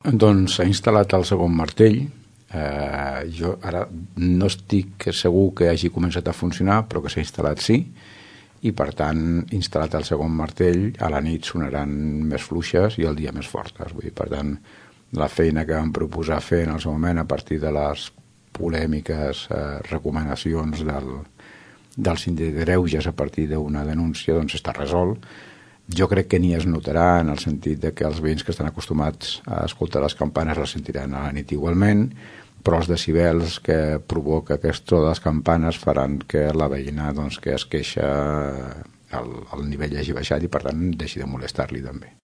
Doncs s'ha instal·lat el segon martell. Jo ara no estic segur que hagi començat a funcionar, però que s'ha instal·lat sí, i per tant, instal·lat el segon martell, a la nit sonaran més fluixes i al dia més fortes. Vull dir, per tant, la feina que vam proposar fer en el seu moment a partir de les polèmiques recomanacions del síndic de Greuges a partir d'una denúncia, doncs està resolt. Jo crec que ni es notarà en el sentit de que els veïns que estan acostumats a escoltar les campanes les sentiran a la nit igualment, però els decibels que provoca aquest so de les campanes faran que la veïna doncs, que es queixa el nivell hagi baixat i per tant deixi de molestar-li també.